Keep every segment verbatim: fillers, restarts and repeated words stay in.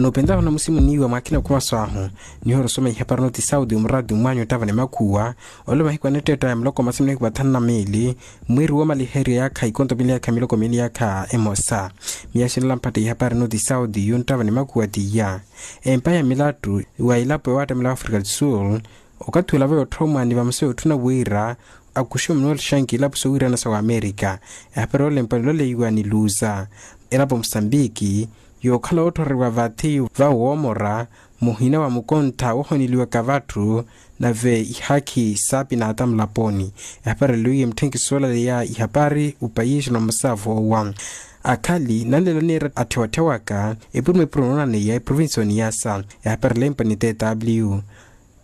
Nupentahuna musimu niiwa mwakhina khumaso ahu. Nihoora osoma ihapari noti saudi omurati mmwanyu ottavani makhuwa. Ole mahiku anetteetta ya muloko masimini khuvathana na miili, mwiiri woomaliherya yaakha ikonto miili yaakha miloko miili yaakha emosa. Miyaxinela mphatta ihapari noti saudi yonttavani makhuwa tiya. Empa ya milattu wa ilapo yoowattamela wa afrika du sul, okathi olava yootthomwa ni vamosa yootthuna wira akuxiwe manuel shanki ilapo sowiirana sa wamerika. Ehapari yoolempwa niloleiwa ni luza, elapo musambiki, yookhala ootthoriwa vathi va woomora muhina wa mukontha woohoneliwaka vatthu, nave ihaakhi saapinaata mulaponi. Ehapari eloiye mutthenki soolaleya ihapari upayiixi na omusaavu owa. Akhali nanlela niira atthewatthe waka epuruma epuruma noonaneya eprovincioni yasa. Ehapari elempwa ni tw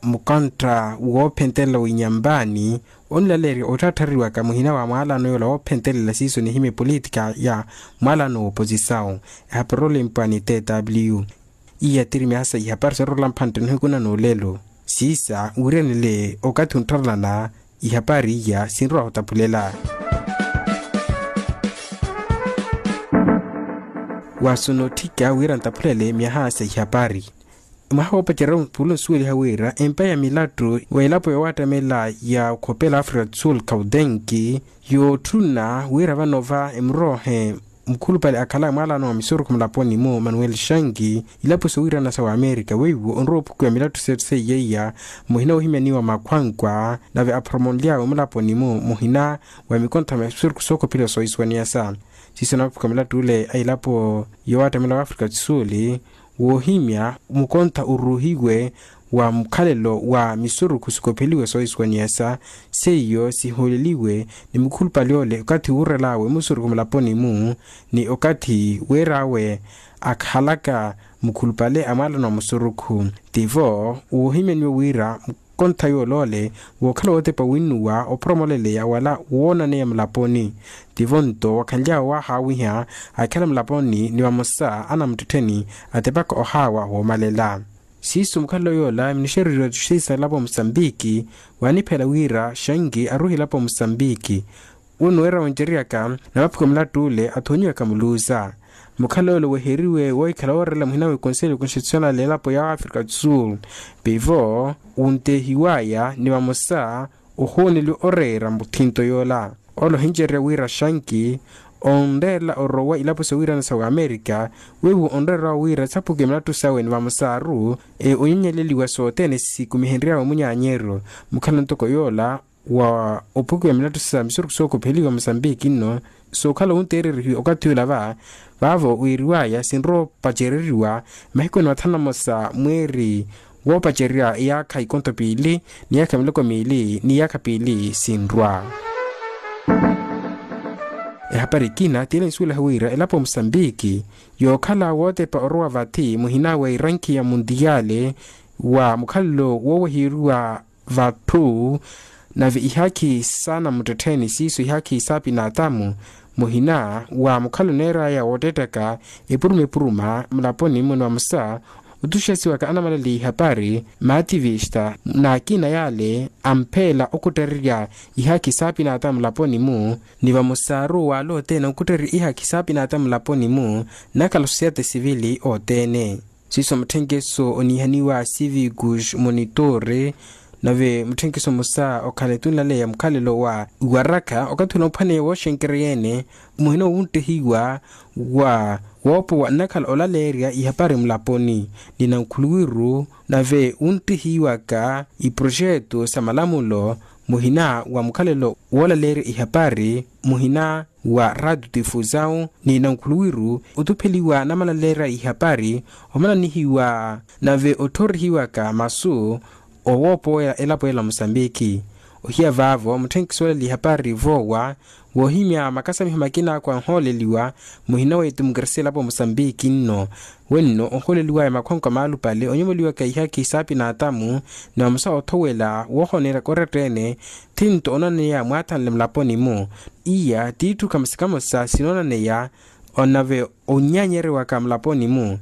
mukontha woophentelela winyambaani onilaleerya otthatthariwaka muhina wa mwaalano yoola woophentelela siiso nihimya epolitika ya mwaalano wooposisawu. Ehapari olempwa ni tw iya tiri myaasa ihapari soottorola mphantte nihiku na noolelo. Siisa wiiranile okathi onttharelana ihapari iya sinrowa otaphulela. Waasuna otthika wira ntaphulele myaha sa ihapari. Mwaha woopacerya mpulo nsuweliha wira empa ya milattu wa elapo yoowattamela ya okhopela afrika du sul kaudenki, yootthuna wira vano va emuroohe mukhulupale akhala mwaalano wa misurukhu mulaponi-mu manuel shanki, ilapo sowiirana sa wamerika weiwo onrowa ophukiwa milattu setthu seiyeiya muhina woohimyaniwa makhwankwa, nave aphoromonly'awe mulaponi-mu muhina wa mikontho mya misurukhu sookopheliwa soohisuwaniyasa. Siiso naaphuka milattu ole a elapo yoowattamela wa afrika du sul, woohimya mukontha oruuhiwe wa mukhalelo wa misurukhu sikopheliwe soohisuwaniyasa, seiyo sihooleliwe ni mukhulupale ole okathi wuurel'awe musurukhu mulaponi-mu ni okathi weer'awe akhalaka mukhulupale a mwaalano wa musurukhu. Tivo woohimyaniwe wira mukontha yool'ole wookhala wootepa winnuwa ophoromoleleya wala woonaneya mulaponi. Tivo nto wakhanly'awe waahaawiha akhala mulaponi ni vamosa anamuttettheni atepaka ohaawa woomalela. Siiso mukhalelo yoola minixereriwa tixisalapo musambiki, waaniphela wira shanki aruuhilapo musambiki. Unnuweera woncereryaka na vaphuka mulattu ole athoonyiwaka muluuza. Mukhalelo ole weheriwe woohikhala woorelela muhina wa ekonselyo konstitusionale elapo ya afrika du sul, pivo wuntehiwaya ni vamosa ohooneliwa oreera muthinto yoola. Ole ohincererya wira shanki onreerela orowa ilapo sowiirana sa wamerika, weiwo onreerela wira saphuke milattu sawe ni vamosaru onyonyeleliwa sothene sikumihenry'awe munyaanyeryo. Mukhalelo ntoko yoola wa ophukiwa milattu sa misurukhu sookopheliwa musambiki nno sookhala wunteererihiwa okathi ula va vaavo wiiriwaya sinrowa opacereriwa mahiku ene mathanu na mosa mweeri woopacererya iyaakha ikonto piili ni iyaakha miloko miili ni iyaakha piili sinrwa. Ehapari ekina tiile nsuwelaha wira elapo musambiki yookhala wootepa orowa vathi muhina wa irankhi ya muntiyale wa mukhalelo wooweheriwa vatthu nave ihaakhi saana muttettheni siiso ihaakhi saapinaatamu muhina wa mukhalelo neer'aya woottettaka epuruma epuruma mulaponi-mu ni vamosa otuxesiwaka anamalaleya ihapari maativista n'akina yale ampheela okhuttererya ihaakhi saapinaatamu mulaponi-mu ni vamosaru wala othene okhuttererya ihaakhi saapinaatamu mulaponi-mu nakhala sosiyete sivili othene. Siiso mutthenkeso oniihaniwa civikus monitore nave mutthenkeso mmosa okhala etunlaleya mukhalelo wa iwarakha okathi ula ophwaneya wooxenkerya yeene muhina owunttehiwa wa woopowa nnakhala olaleerya ihapari mulaponi ni nankhuluwiru nave wunttehiwaka iproxeto sa malamulo muhina wa mukhalelo woolaleerya ihapari muhina wa radio tifuzawu ni nankhuluwiru otupheliwa namalaleerya ihapari omananihiwa nave otthorihiwaka masu owoopowela elapo ela musambiki. Ohiya vaavo mutthenkiso olaleya ihapari voowa woohimya makasamiho makina akwa onhooleliwa muhina wa etimokrasia elapo musambiki nno wenno ohooleliwaya makhonko maalupale onyomoliwaka ihaakhi saapinaatamu ni vamosa othowela woohoneeryaka oreetta-ene thinto onaneya mwaathanle mulaponi-mu. Iya tiitthu kamosa kamosa sinoonaneya onave onyaanyerewaka mulaponi-mu.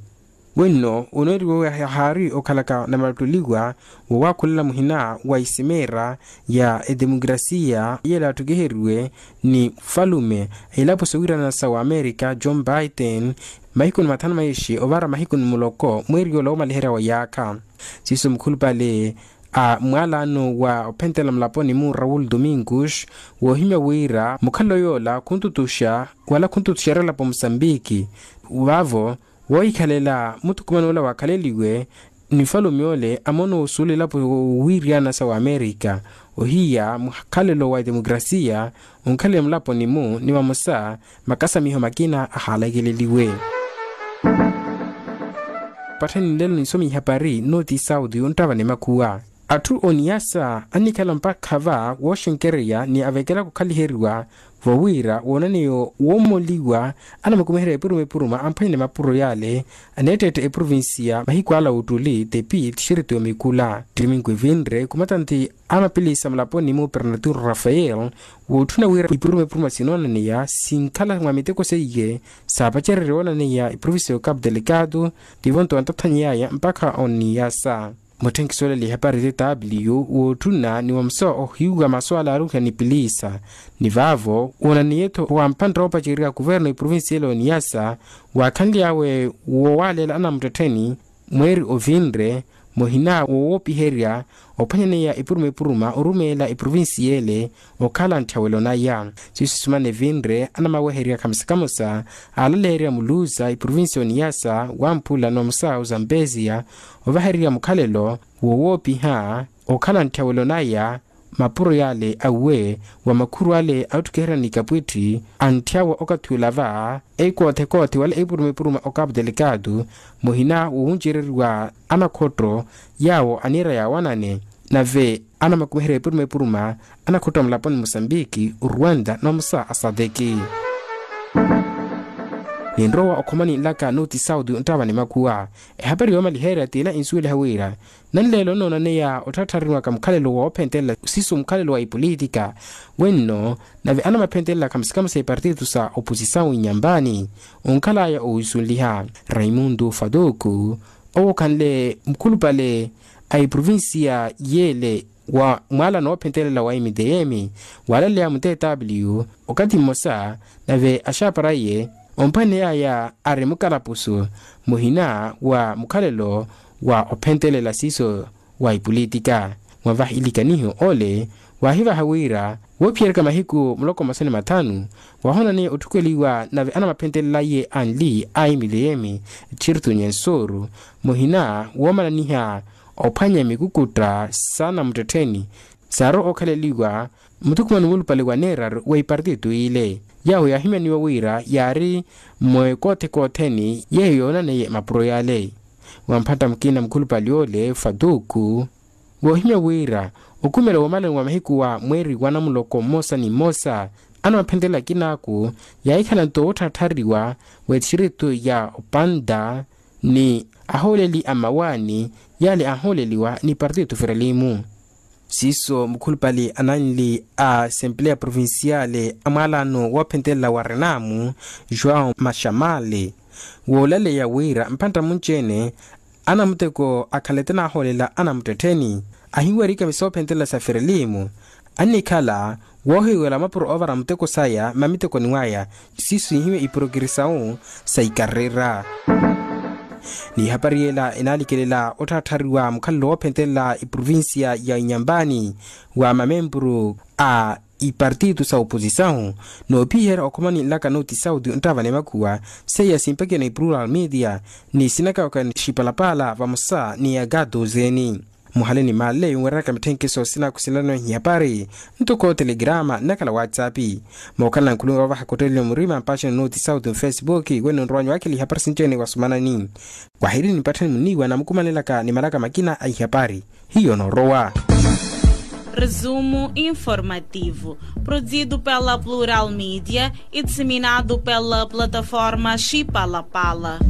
Wenno onooriwe haari okhalaka namattoliwa wowakhulela muhina wa isimeera ya etemukrasiya yela attukiheriwe ni falume a ilapo sowiirana sa wamerika john biden mahiku ni mathanu maixi ovara mahiku ni muloko mweeri yola womaliherya wa yaakha. Siiso mukhulupale a mwalano wa ophentelela mulaponi mu raul domingos woohimya wira mukhalelo yoola khuntutuxa wala khuntutuxerya elapo musambiki vaavo woohikhalela muthukuman'ola wakhaleliwe ni falume ole amoona osuula elapo wiiriyana sa wamerika ohiya mukhalelo wa etemukrasiya onkhalele mulaponi-mu ni vamosa makasamiho makina ahaalakeleliwe. Pattheni nlelo nisomi ihapari nooti sauti onttava ni makhuwa atthu oniyasa annikhala mpakha va wooxenkereya ni avekela khukhaliheriwa vowiira woonaneyo woomoliwa anamakumiherya epuruma epuruma amphwanyane mapuro yaale aneetteetta eprovincia mahiku ala ottuli tepi tixiritu yomikula ttimingu evinre khumatanthi a mapilisa mulaponi mu pernatur rafael wootthuna wira ipuruma epuruma sinoonaneya sinkhala mwa miteko seiye saapacererye woonaneya eprovincia yo capu delicado tivo nto antathanyeyaya mpakha oniyasa. Mutthenkisi olaliha epari tw wootthuna ni wamusa ohiwa masu ala aaruhiha ni piliisa ni vaavo woonaniye-tho wa mphantta woopacerya kuverno eprovincia ele oniyasa waakhanly'awe woowaaleela anamuttettheni mweeri ovinre muhina wowoopiherya ophwanyaneya epuruma epuruma orumeela eprovincia ele okhala ntthawelo naya siiso sisumana evinre anamaweherya khamosa khamosa aalaleerya muluuza eprovincia oniyasa wamphula nomusa ozampesia ovahererya mukhalelo wowoopiha okhala ntthawelo naya mapuro yaale awe wa makhuru ale aotthukiherya ni kapwitthi antthyawa okathi olava ekoothe-koothe wala epuruma epuruma o capu delicado muhina wowuncereriwa anakhotto yaawo aniira yaawanane nave anamakumiherya epuruma epuruma anakhotto a mulaponi musambiki ruanda nomusa asadeki. Ninrowa okhomani nlaka nooti sauti onttava ni makhuwa ehapari yoomaliherya t'ila insuweliha wira nanleelo nnoonaneya otthaattharinwaka mukhalelo woophentelela siiso mukhalelo wa ipolitika wenno nave anamaphentelela khamosa khamosa epartito sa oposisawu inyambani onkhalaya owisunliha raimundo fadoko owo okhanle mukhulupale a eprovincia yeele wa mwaalano woophentelela wa mdm waalaleya mu tw okathi mmosa nave axaapara iye omphwaneyaya ari mukalapusu muhina wa mukhalelo wa ophentelela siiso wa ipolitika mwavaha ilikaniho ole waahivaha wira woophiyeryaka mahiku muloko mmosa ni mathanu waahonaniye otthukeliwa nave anamaphentelela iye anli a mdm txirtu nyensuru muhina woomananiha ophwanya mikukutta s'anamuttettheni saarowa okhaleliwa muthukumano mulupale wa neeraru wa ipartito ile yaawo yaahimyaniwa wira yaari mwekoothe-kootheni yeeyo yoonaneiye mapuro yaale wa mphatta mukina mukhulupale ole fatuku woohimya wira okhumela woomalani wa mahiku wa mweeri wa namuloko mmosa ni mmosa anamaphentelela akinaaku yaahikhala nto wootthaatthariwa w'etixiritu ya opanta ni ahooleli a mmawaani yaale aahooleliwa ni partitu firelimu siiso mukhulupale ananli a assempleya provinciale a mwaalano woophentelela wa renamu joão maxamale woolaleya wira mphantta munci-ene anamuteko akhalete naahoolela anamuttettheni ahinwerika misoophentelela sa firelimu annikhala woohiwela mapuro oovara muteko saya mamitekoni waya siiso ihiwe iporokirisawu sa ikarera n'ihapari yela enaalikelela otthaatthaariwa mukhalelo woophentelela iprovincia ya inyambani wa mamempuru a ipartito sa oposisawu noophiherya okhomani nlaka nooti sauti onttaavana emakhuwa seiya simpakiyana iprural media ni sinakawaka xipalapaala vamosa ni yaka dozeni muhale ni malle yunwereryaka mitthenkisi osinakhusilano ihapari ntoko telegrama nnakhala whatsapp mookhalana nkhulunga wavaha kottelelo murima mpaxina nooti sauti mfacebook wene onrowanyu wakhela ihapari sinci-ene wasumanani wahiri nipattheni muniiwa namukumanelaka ni malaka makina a ihapari hiyo noorowa. Resumo informativo, produzido pela Plural Media e disseminado pela plataforma Chipalapala.